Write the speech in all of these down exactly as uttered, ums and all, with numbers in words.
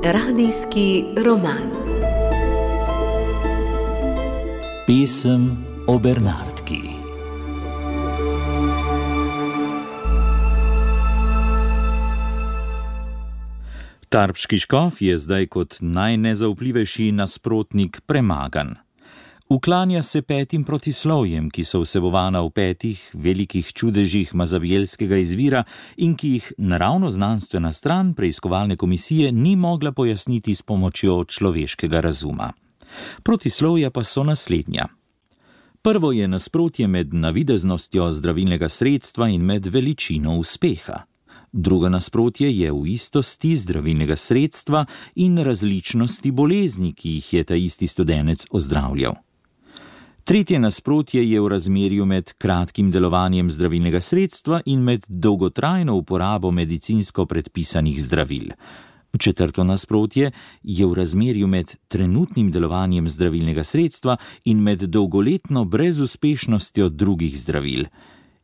Radijski roman. Pesem o Bernardki. Tarbški škof je zdaj kot najnezaupljivejši nasprotnik premagan. Uklanja se petim protislovjem, ki so vsebovana v petih velikih čudežih mazabielskega izvira in ki jih naravno-znanstvena stran preiskovalne komisije ni mogla pojasniti s pomočjo človeškega razuma. Protislovja pa so naslednja. Prvo je nasprotje med navideznostjo zdravilnega sredstva in med veličino uspeha. Drugo nasprotje je v istosti zdravilnega sredstva in različnosti bolezni, ki jih je ta isti studenec ozdravljal. Tretje nasprotje je v razmerju med kratkim delovanjem zdravilnega sredstva in med dolgotrajno uporabo medicinsko predpisanih zdravil. Četrto nasprotje je v razmerju med trenutnim delovanjem zdravilnega sredstva in med dolgoletno brezuspešnostjo drugih zdravil.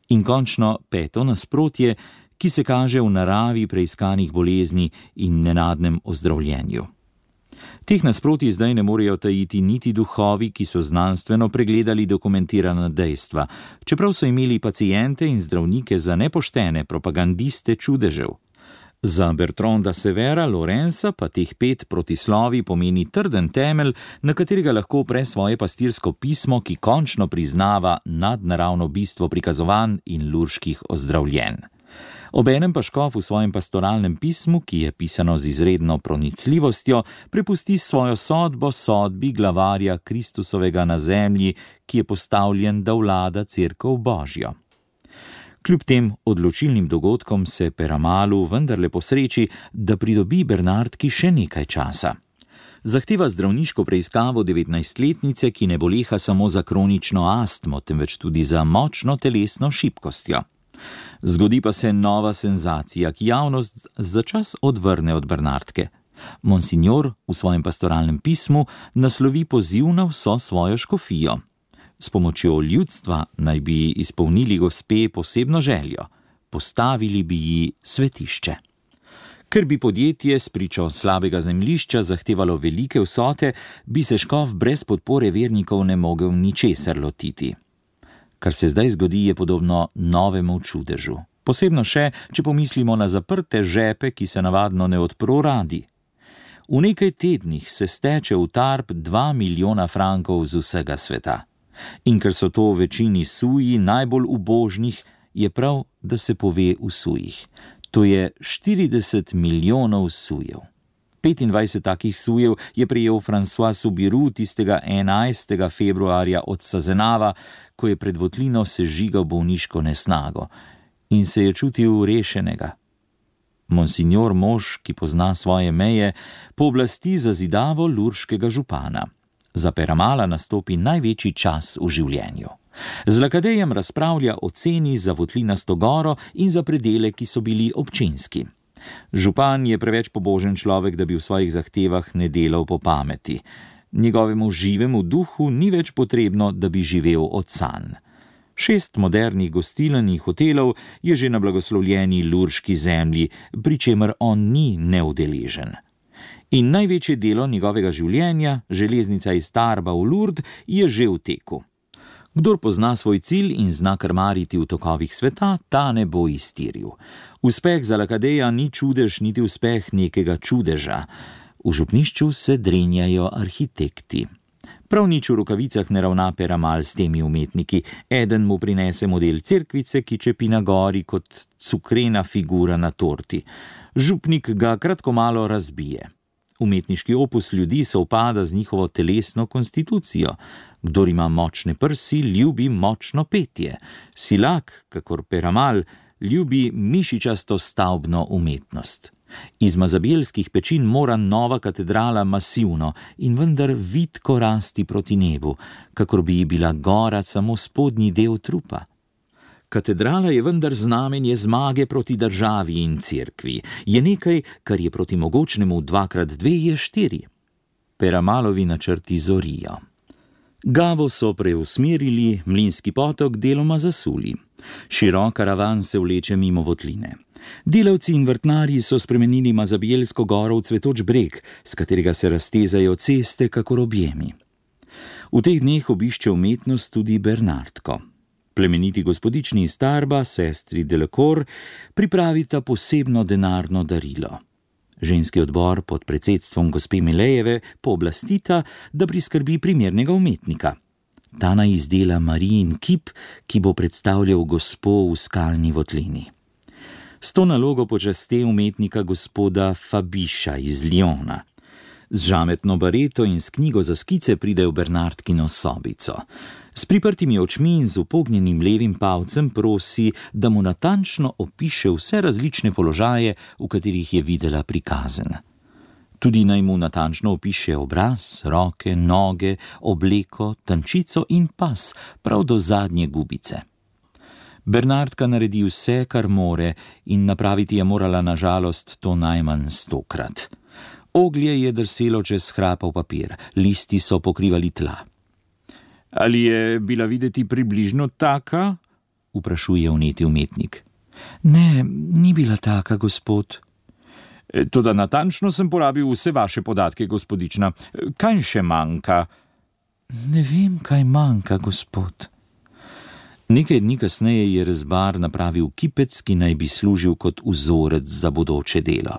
In končno peto nasprotje, ki se kaže v naravi preiskanih bolezni in nenadnem ozdravljenju. Teh nasprotij zdaj ne morejo tajiti niti duhovi, ki so znanstveno pregledali dokumentirana dejstva, čeprav so imeli paciente in zdravnike za nepoštene propagandiste čudežev. Za Bertranda Severa Lorenza pa teh pet protislovi pomeni trden temelj, na katerega lahko opre svoje pastirsko pismo, ki končno priznava nadnaravno bistvo prikazovanj in lurških ozdravljenj. Obenem pa škof v svojem pastoralnem pismu, ki je pisano z izredno pronicljivostjo, prepusti svojo sodbo sodbi glavarja Kristusovega na zemlji, ki je postavljen, da vlada cerkev Božjo. Kljub tem odločilnim dogodkom se Peramalu vendarle posreči, da pridobi Bernardki še nekaj časa. Zahteva zdravniško preiskavo devetnajstletnice, ki ne boleha samo za kronično astmo, temveč tudi za močno telesno šibkostjo. Zgodi pa se nova senzacija, ki javnost začas odvrne od Bernardke. Monsignor v svojem pastoralnem pismu naslovi poziv na vso svojo škofijo. S pomočjo ljudstva naj bi izpolnili gospe posebno željo, postavili bi ji svetišče. Ker bi podjetje s pričo slabega zemljišča zahtevalo velike vsote, bi se škof brez podpore vernikov ne mogel ničesar lotiti. Kar se zdaj zgodi, je podobno novemu čudežu. Posebno še, če pomislimo na zaprte žepe, ki se navadno ne odpro radi. V nekaj tednih se steče v Tarb dva milijona frankov z vsega sveta. In ker so to v večini suji najbolj ubožnih, je prav, da se pove v sujih. To je štirideset milijonov sujev. petindvajset takih sujev je prejel François Subiru tistega enajstega februarja od Sazenava, ko je pred votlino sežigal bolniško nesnago in se je čutil rešenega. Monsignor mož, ki pozna svoje meje, pooblasti zazidavo lurškega župana. Za Peramala nastopi največji čas v življenju. Z Lakadejem razpravlja o ceni za votlinasto goro in za predele, ki so bili občinski. Župan je preveč pobožen človek, da bi v svojih zahtevah ne delal po pameti. Njegovemu živemu duhu ni več potrebno, da bi živel od sanj. Šest modernih gostiln in hotelov je že na blagoslovljeni lurški zemlji, pri čemer on ni neudeležen. In največje delo njegovega življenja, železnica iz Tarba v Lourdes, je že v teku. Kdor pozna svoj cilj in zna krmariti v tokovih sveta, ta ne bo iztiril. Uspeh za Lakadeja ni čudež niti uspeh nekega čudeža. V župnišču se drenjajo arhitekti. Prav nič v rokavicah ne ravna Peramal s temi umetniki. Eden mu prinese model cerkvice, ki čepi na gori kot cukrena figura na torti. Župnik ga kratko malo razbije. Umetniški opus ljudi se upada z njihovo telesno konstitucijo. Kdor ima močne prsi, ljubi močno petje. Silak, kakor Peramal, ljubi mišičasto stavbno umetnost. Iz mazabielskih pečin mora nova katedrala masivno in vendar vitko rasti proti nebu, kakor bi bila gora samo spodnji del trupa. Katedrala je vendar znamenje zmage proti državi in cerkvi. Je nekaj, kar je proti mogočnemu dvakrat dve je štiri. Peramalovi načrti zorijo. Gavo so preusmerili, Mlinski potok deloma zasuli. Širok karavan se vleče mimo votline. Delavci in vrtnarji so spremenili Mazabijelsko goro v cvetoč breg, s katerega se raztezajo ceste kakor objemi. V teh dneh obišče umetnost tudi Bernardko. Plemeniti gospodični iz Tarba, sestri Delacour, pripravita posebno denarno darilo. Ženski odbor pod predsedstvom gospe Milejeve pooblastita, da priskrbi primernega umetnika. Ta naj izdela Marijin kip, ki bo predstavljal gospo v skalni votlini. S to nalogo počaste umetnika gospoda Fabiša iz Lyona. Z žametno bareto in s knjigo za skice pride v Bernardkino sobico. S priprtimi očmi in z upognjenim levim palcem prosi, da mu natančno opiše vse različne položaje, v katerih je videla prikazen. Tudi naj mu natančno opiše obraz, roke, noge, obleko, tančico in pas, prav do zadnje gubice. Bernardka naredi vse, kar more, in napraviti je morala na žalost to najmanj stokrat. Oglje je drselo čez hrapav papir, listi so pokrivali tla. Ali je bila videti približno taka? Vprašuje vneti umetnik. Ne, ni bila taka, gospod. Toda natančno sem porabil vse vaše podatke, gospodična. Kaj še manjka? Ne vem, kaj manjka, gospod. Nekaj dni kasneje je rezbar napravil kipec, ki naj bi služil kot vzorec za bodoče delo.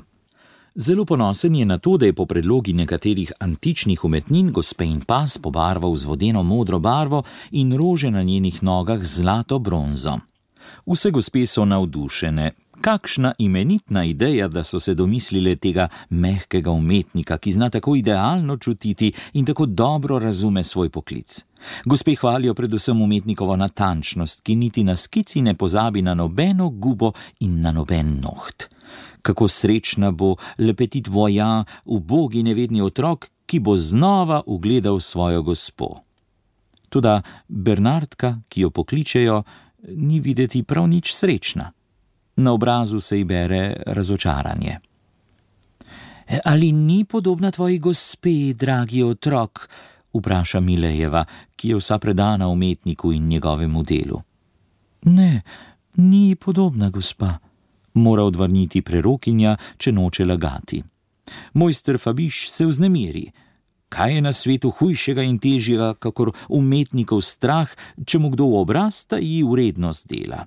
Zelo ponosen je na to, da je po predlogi nekaterih antičnih umetnin gospe in pas pobarval z vodeno modro barvo in rože na njenih nogah zlato bronzo. Vse gospe so navdušene. Kakšna imenitna ideja, da so se domislile tega mehkega umetnika, ki zna tako idealno čutiti in tako dobro razume svoj poklic. Gospe hvalijo predvsem umetnikovo natančnost, ki niti na skici ne pozabi na nobeno gubo in na noben noht. Kako srečna bo le petit voyant, ubogi nevedni otrok, ki bo znova ugledal svojo gospo. Toda Bernardka, ki jo pokličejo, ni videti prav nič srečna. Na obrazu se ji bere razočaranje. Ali ni podobna tvoji gospe, dragi otrok? Vpraša Milejeva, ki je vsa predana umetniku in njegovemu delu. Ne, ni podobna gospa, mora odvrniti prerokinja, če noče lagati. Mojster Fabiš se vznemiri. Kaj je na svetu hujšega in težjega, kakor umetnikov strah, če mu kdo v obraz taji vrednost dela?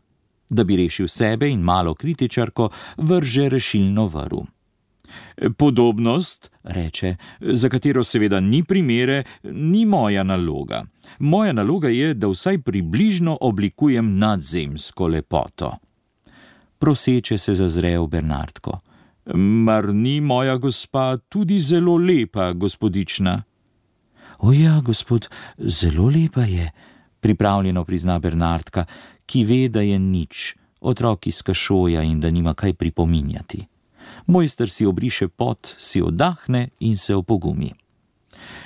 Da bi rešil sebe in malo kritičarko, vrže rešilno vrv. Podobnost, reče, za katero seveda ni primere, ni moja naloga. Moja naloga je, da vsaj približno oblikujem nadzemsko lepoto. Proseče se zazre v Bernardko. Mar ni moja gospa tudi zelo lepa, gospodična? O ja, gospod, zelo lepa je, pripravljeno prizna Bernardka, ki ve, da je nič, otrok iz kašoja in da nima kaj pripominjati. Mojster si obriše pot, si oddahne in se opogumi.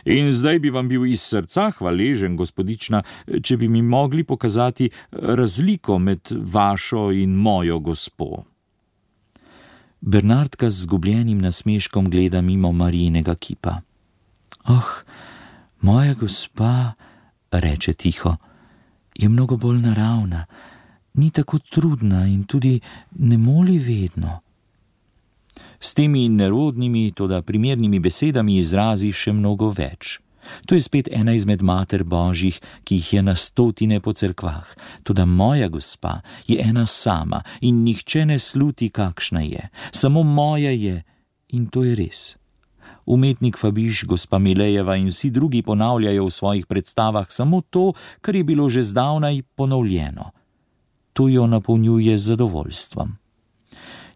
In zdaj bi vam bil iz srca hvaležen, gospodična, če bi mi mogli pokazati razliko med vašo in mojo gospo. Bernardka z zgubljenim nasmeškom gleda mimo Marijinega kipa. Oh, moja gospa, reče tiho, je mnogo bolj naravna, ni tako trudna in tudi ne moli vedno. S temi nerodnimi, toda primernimi besedami izrazi še mnogo več. To je spet ena izmed mater božjih, ki jih je na stotine po cerkvah. Toda moja gospa je ena sama in nihče ne sluti, kakšna je. Samo moja je in to je res. Umetnik Fabiš, gospa Milejeva in vsi drugi ponavljajo v svojih predstavah samo to, kar je bilo že zdavnaj ponovljeno. To jo napolnjuje z zadovoljstvom.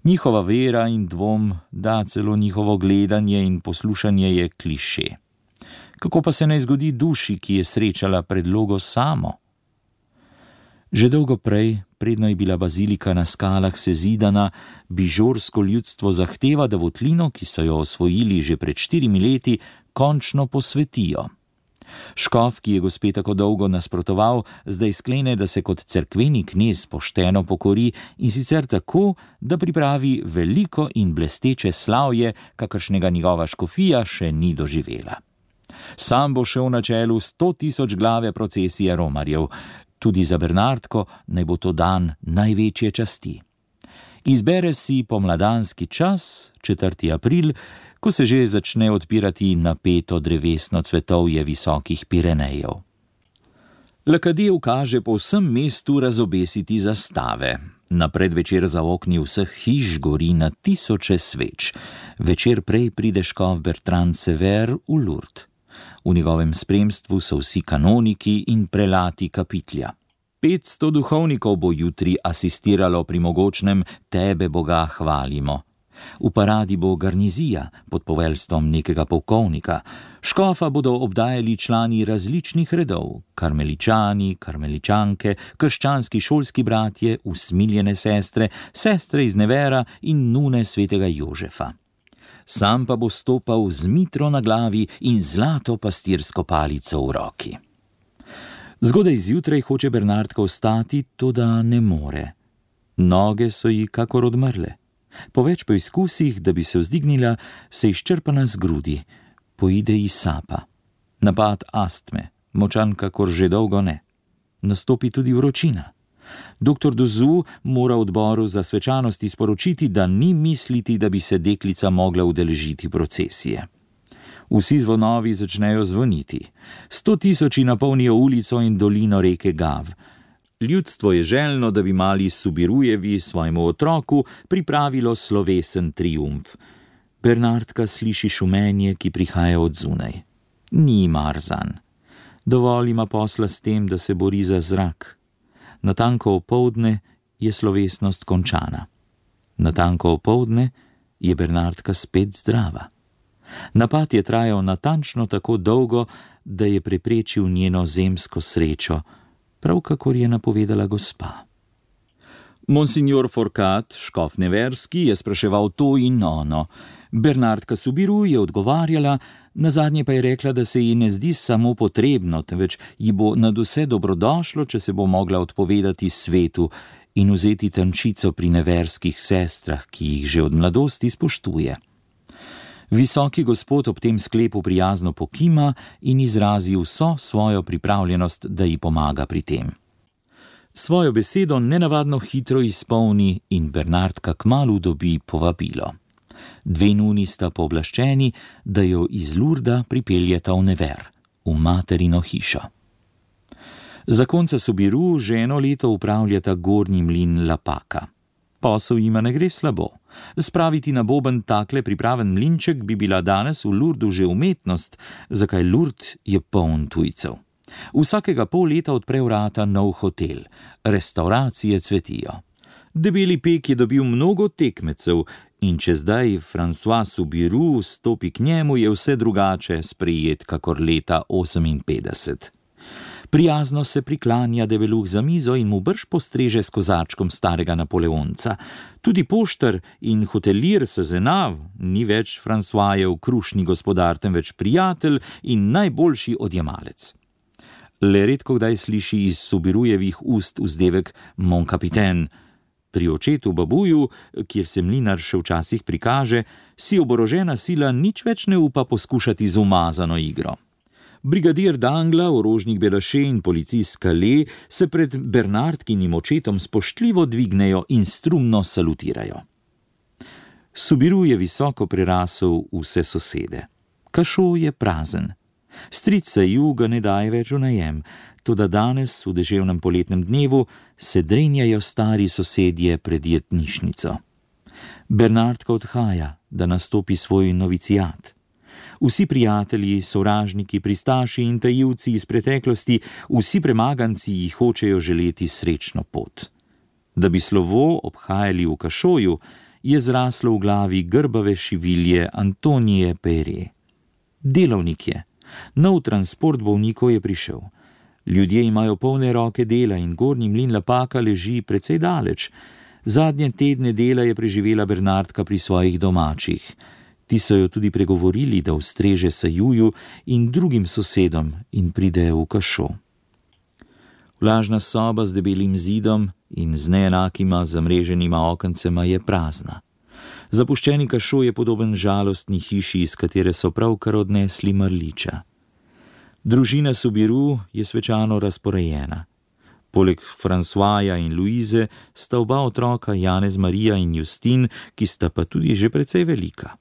Njihova vera in dvom, da celo njihovo gledanje in poslušanje je kliše. Kako pa se naj zgodi duši, ki je srečala predlogo samo? Že dolgo prej, predno je bila bazilika na skalah sezidana, bižorsko ljudstvo zahteva, da votlino, ki so jo osvojili že pred štirimi leti, končno posvetijo. Škof, ki je gospe tako dolgo nasprotoval, zdaj sklene, da se kot cerkveni knez pošteno pokori in sicer tako, da pripravi veliko in blesteče slavje, kakršnega njegova škofija še ni doživela. Sam bo šel na čelu sto tisoč glave procesije romarjev. Tudi za Bernardko naj bo to dan največje časti. Izbere si pomladanski čas, četrti april, ko se že začne odpirati napeto drevesno cvetovje visokih Pirenejev. Lakadije ukaže po vsem mestu razobesiti zastave. Na predvečer za okni vseh hiš gori na tisoče sveč. Večer prej pride škof Bertrand Sever v Lourdes. V njegovem spremstvu so vsi kanoniki in prelati kapitlja. Petsto duhovnikov bo jutri asistiralo pri mogočnem Tebe, Boga, hvalimo. V paradi bo garnizija pod poveljstvom nekega polkovnika. Škofa bodo obdajali člani različnih redov, karmeličani, karmeličanke, krščanski šolski bratje, usmiljene sestre, sestre iz Nevera in nune svetega Jožefa. Sam pa bo stopal z mitro na glavi in zlato pastirsko palico v roki. Zgodaj zjutraj hoče Bernardka vstati, toda ne more. Noge so ji kakor odmrle. Po več poizkusih, da bi se vzdignila, se izčrpana zgrudi. Poide ji sapa. Napad astme, močan kakor že dolgo ne. Nastopi tudi vročina. Doktor Dozu mora odboru za svečanosti sporočiti, da ni misliti, da bi se deklica mogla udeležiti procesije. Vsi zvonovi začnejo zvoniti. Sto tisoči napolnijo ulico in dolino reke Gav. Ljudstvo je željno, da bi mali Subirujevi svojemu otroku pripravilo slovesen triumf. Bernardka sliši šumenje, ki prihaja od zunaj. Ni mar zanj. Dovolj ima posla s tem, da se bori za zrak. Natanko opoldne je slovesnost končana. Natanko opoldne je Bernardka spet zdrava. Napad je trajal natančno tako dolgo, da je preprečil njeno zemsko srečo, prav kakor je napovedala gospa. Monsignor Forcat, škof Neverski, je spraševal to in ono. Bernardka Subiru je odgovarjala, nazadnje pa je rekla, da se ji ne zdi samo potrebno, temveč ji bo nadvse dobrodošlo, če se bo mogla odpovedati svetu in vzeti tančico pri neverskih sestrah, ki jih že od mladosti spoštuje. Visoki gospod ob tem sklepu prijazno pokima in izrazi vso svojo pripravljenost, da ji pomaga pri tem. Svojo besedo nenavadno hitro izpolni in Bernardka kmalu dobi povabilo. Dve nuni sta pooblaščeni, da jo iz Lurda pripeljeta v Never, v materino hišo. Zakonca Subiru že eno leto upravljata gornji mlin Lapaka. Posel jima ne gre slabo. Spraviti na boben takle pripraven mlinček bi bila danes v Lurdu že umetnost, zakaj Lurd je poln tujcev. Vsakega pol leta odpre vrata nov hotel, restauracije cvetijo. Debeli pek je dobil mnogo tekmecev in če zdaj François Subiru stopi k njemu, je vse drugače sprejet kakor leta oseminpetdeset. Prijazno se priklanja debeluh za mizo in mu brž postreže s kozačkom starega Napoleonca. Tudi poštar in hotelir Sezenav ni več Françoisjev krušni gospodar, temveč prijatelj in najboljši odjemalec. Le redko kdaj sliši iz Subirujevih ust vzdevek mon capitaine. Pri očetu babuju, kjer se mlinar še včasih prikaže, si oborožena sila nič več ne upa poskušati z umazano igro. Brigadir Dangla, orožnik Belaše in policist Calais se pred Bernardkinim očetom spoštljivo dvignejo in strumno salutirajo. Subiru je visoko prerasel vse sosede. Kašo je prazen. Stric Saju ga ne daje več v najem, toda danes, v deževnem poletnem dnevu, se drenjajo stari sosedje pred jetnišnico. Bernardka odhaja, da nastopi svoj novicijat. Vsi prijatelji, sovražniki, pristaši in tajivci iz preteklosti, vsi premaganci jih hočejo želeti srečno pot. Da bi slovo obhajali v Kašoju, je zraslo v glavi grbave šivilje Antonije Pere. Delovnik je. Nov transport bolnikov je prišel. Ljudje imajo polne roke dela in gornji mlin Lapaka leži precej daleč. Zadnje tedne dela je preživela Bernardka pri svojih domačih. Ti so jo tudi pregovorili, da ustreže Sajuju in drugim sosedom in pride v Kašo. Vlažna soba z debelim zidom in z neenakima zamreženima okencema je prazna. Zapuščeni Kašo je podoben žalostni hiši, iz katere so pravkar odnesli mrliča. Družina Soubirous je svečano razporejena. Poleg Françoisa in Louise sta oba otroka Janez Marija in Justin, ki sta pa tudi že precej velika.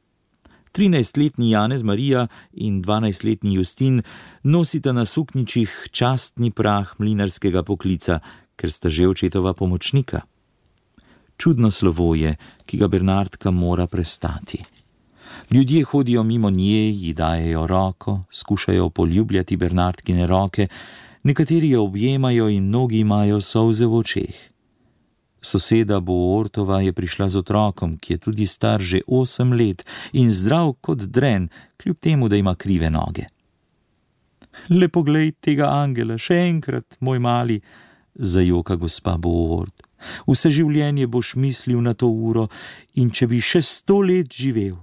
trinajstletni Janez Marija in dvanajstletni Justin nosita na suknjičih častni prah mlinarskega poklica, ker sta že očetova pomočnika. Čudno slovo je, ki ga Bernardka mora prestati. Ljudje hodijo mimo nje, ji dajejo roko, skušajo poljubljati Bernardkine roke, nekateri jo objemajo in mnogi imajo solze v očeh. Soseda Boortova je prišla z otrokom, ki je tudi star že osem let in zdrav kot dren, kljub temu, da ima krive noge. Le poglej tega angela, še enkrat, moj mali, zajoka gospa Boort. Vse življenje boš mislil na to uro in če bi še sto let živel.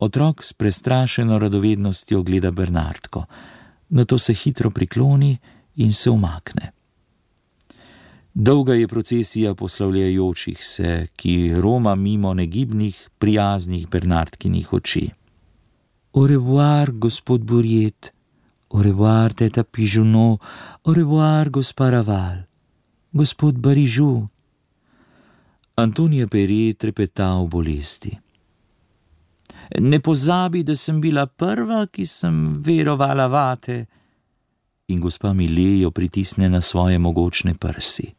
Otrok s prestrašeno radovednostjo gleda Bernardko, nato se hitro prikloni in se umakne. Dolga je procesija poslavljajočih se, ki roma mimo negibnih, prijaznih Bernardkinih oči. Au revoir, gospod Bouriet, au revoir, teta Pigeonneau, au revoir, gospa Raval, gospod Barižu. Antonija Pere trepeta v bolesti. Ne pozabi, da sem bila prva, ki sem verovala vate. In gospa Mile jo pritisne na svoje mogočne prsi.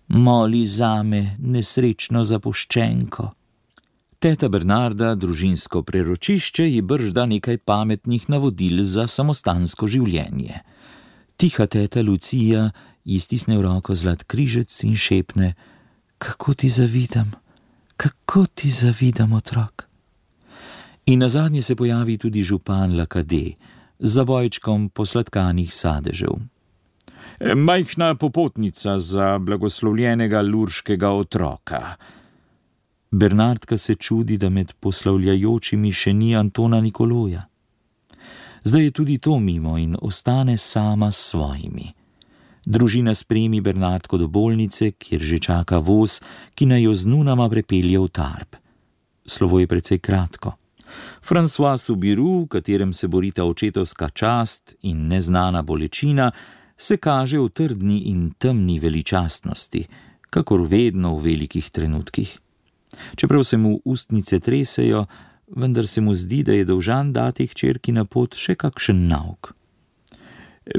Moli zame, nesrečno zapuščenko. Teta Bernarda, družinsko preročišče, ji bržda nekaj pametnih navodil za samostansko življenje. Tiha teta Lucija ji stisne v roko zlat križec in šepne: Kako ti zavidam, kako ti zavidam, otrok. In nazadnje se pojavi tudi župan Lakade, z zabojčkom posladkanih sadežev. Majhna popotnica za blagoslovljenega lurškega otroka. Bernardka se čudi, da med poslavljajočimi še ni Antona Nikoloja. Zdaj je tudi to mimo in ostane sama s svojimi. Družina spremi Bernardko do bolnice, kjer že čaka voz, ki naj jo z nunama prepelje v Tarbes. Slovo je precej kratko. François Soubirous, v katerem se borita očetovska čast in neznana bolečina, se kaže v trdni in temni veličastnosti, kakor vedno v velikih trenutkih. Čeprav se mu ustnice tresejo, vendar se mu zdi, da je dolžan dati hčerki na pot še kakšen nauk.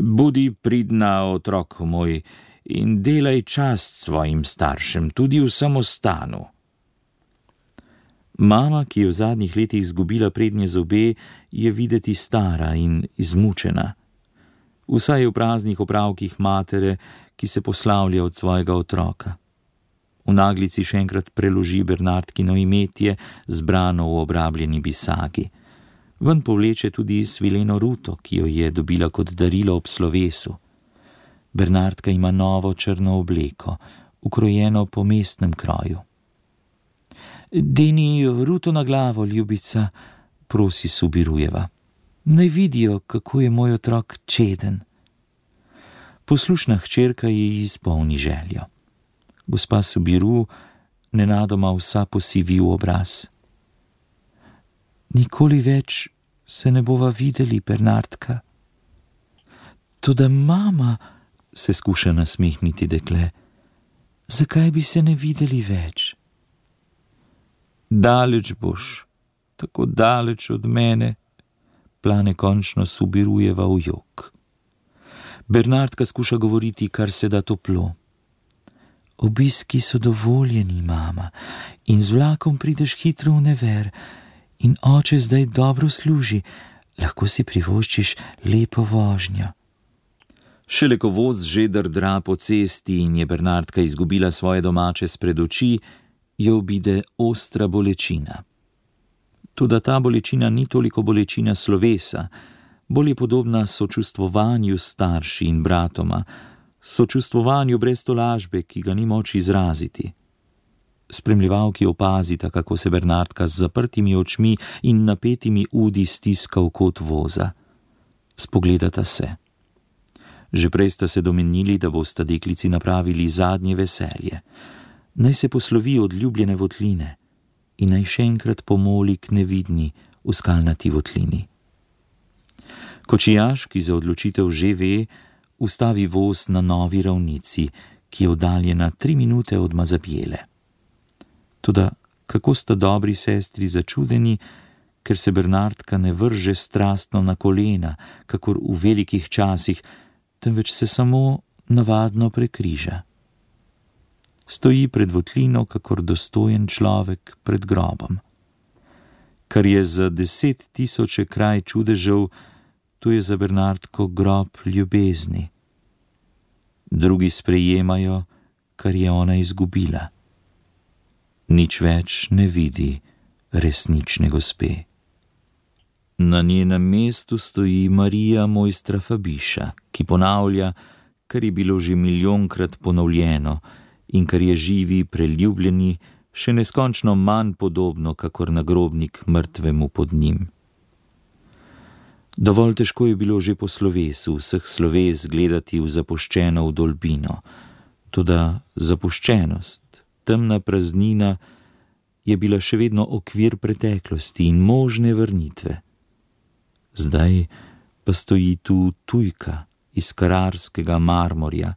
Bodi pridna, otrok moj, in delaj čast svojim staršem, tudi v samostanu. Mama, ki je v zadnjih letih izgubila prednje zobe, je videti stara in izmučena. Vsaj v praznih opravkih matere, ki se poslavlja od svojega otroka. V naglici še enkrat preloži Bernardkino imetje, zbrano v obrabljeni bisagi. Ven povleče tudi svileno ruto, ki jo je dobila kot darilo ob slovesu. Bernardka ima novo črno obleko, ukrojeno po mestnem kroju. Deni ruto na glavo, ljubica, prosi Soubirujeva. Naj vidijo, kako je moj otrok čeden. Poslušna hčerka ji izpolni željo. Gospa Soubirous nenadoma vsa posivi v obraz. Nikoli več se ne bova videli, Bernardka. Toda mama, se skuša nasmehniti dekle, zakaj bi se ne videli več? Daleč boš, tako daleč od mene, plane končno Soubirujeva v jok. Bernardka skuša govoriti kar se da toplo. Obiski so dovoljeni, mama, in z vlakom prideš hitro v Never, in oče zdaj dobro služi, lahko si privoščiš lepo vožnjo. Šele ko voz že drdra po cesti in je Bernardka izgubila svoje domače spred oči, jo obide ostra bolečina. Toda ta bolečina ni toliko bolečina slovesa, bolj je podobna sočustvovanju s starši in bratoma, sočustvovanju brez tolažbe, ki ga ni moč izraziti. Spremljevalki opazita, kako se Bernardka z zaprtimi očmi in napetimi udi stiska v kot voza. Spogledata se. Že prej sta se domenili, da bosta deklici napravili zadnje veselje. Naj se poslovi od ljubljene votline in naj še enkrat pomoli k nevidni v skalnati votlini. Kočijaž, ki za odločitev že ve, ustavi voz na novi ravnici, ki je oddaljena tri minute od Mazabjele. Toda kako sta dobri sestri začudeni, ker se Bernardka ne vrže strastno na kolena, kakor v velikih časih, temveč se samo navadno prekriža. Stoji pred votlino, kakor dostojen človek pred grobom. Kar je za deset tisoče kraj čudežev, to je za Bernardko grob ljubezni. Drugi sprejemajo, kar je ona izgubila. Nič več ne vidi resnične gospe. Na njenem mestu stoji Marija Mojstra Fabiša, ki ponavlja, kar je bilo že milijonkrat ponovljeno in kar je živi preljubljeni še neskončno manj podobno, kakor nagrobnik mrtvemu pod njim. Dovolj težko je bilo že po slovesu vseh sloves gledati v zapuščeno vdolbino, toda zapuščenost, temna praznina je bila še vedno okvir preteklosti in možne vrnitve. Zdaj pa stoji tu tujka iz kararskega marmorja,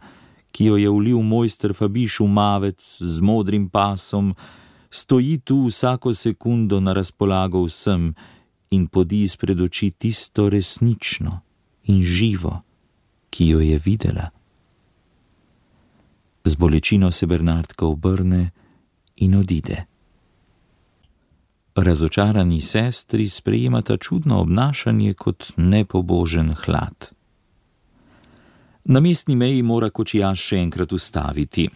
ki jo je vlil mojster Fabiš v mavec z modrim pasom, stoji tu vsako sekundo na razpolago vsem in podi izpred oči tisto resnično in živo, ki jo je videla. Z bolečino se Bernardka obrne in odide. Razočarani sestri sprejemata čudno obnašanje kot nepobožen hlad. Na mestni meji mora kočijaž še enkrat ustaviti.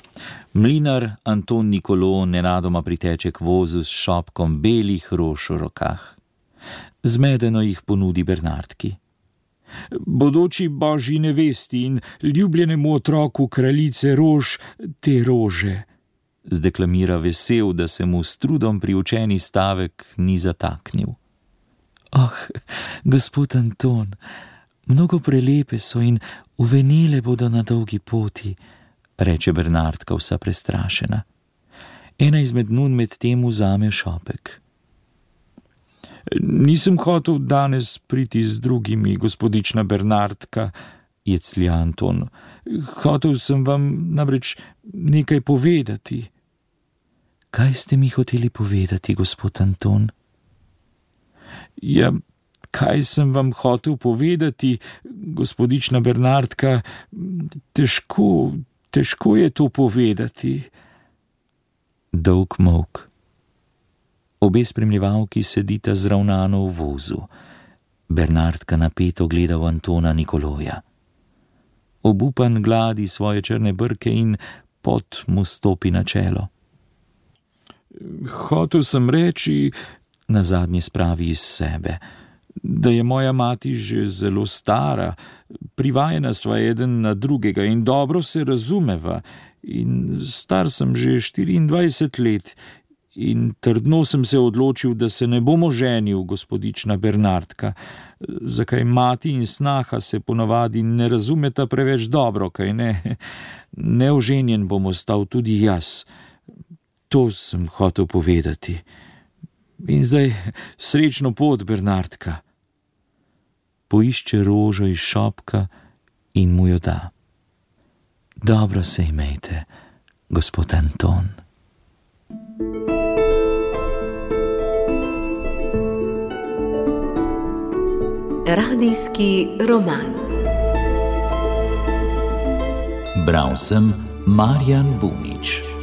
Mlinar Anton Nikolo nenadoma priteče k vozu s šopkom belih rož v rokah. Zmedeno jih ponudi Bernardki. Bodoči božji nevesti in ljubljenemu otroku kraljice rož te rože, zdeklamira vesel, da se mu s trudom priučeni stavek ni zataknil. Oh, gospod Anton, mnogo prelepe so in uvenele bodo na dolgi poti, reče Bernardka vsa prestrašena. Ena izmed nun med tem vzame šopek. Nisem hotel danes priti z drugimi, gospodična Bernardka, jeclja Anton. Hotel sem vam namreč nekaj povedati. Kaj ste mi hoteli povedati, gospod Anton? Ja, kaj sem vam hotel povedati, gospodična Bernardka, težko, težko je to povedati. Dolg molk. Obe spremljevalki sedita zravnano v vozu. Bernardka napeto gleda v Antona Nikoloja. Obupan gladi svoje črne brke in pot mu stopi na čelo. Hotel sem reči, nazadnje spravi iz sebe, da je moja mati že zelo stara, privajena sva eden na drugega in dobro se razumeva, in star sem že štiriindvajset let in trdno sem se odločil, da se ne bom oženil, gospodična Bernardka, zakaj mati in snaha se ponavadi ne razumeta preveč dobro, kaj ne? Neoženjen bom ostal tudi jaz. To sem hotel povedati. In zdaj srečno pot, Bernardka. Poišče rožo iz šopka in mu jo da. Dobro se imejte, gospod Anton. Radijski roman. Bral sem Marjan Bunič.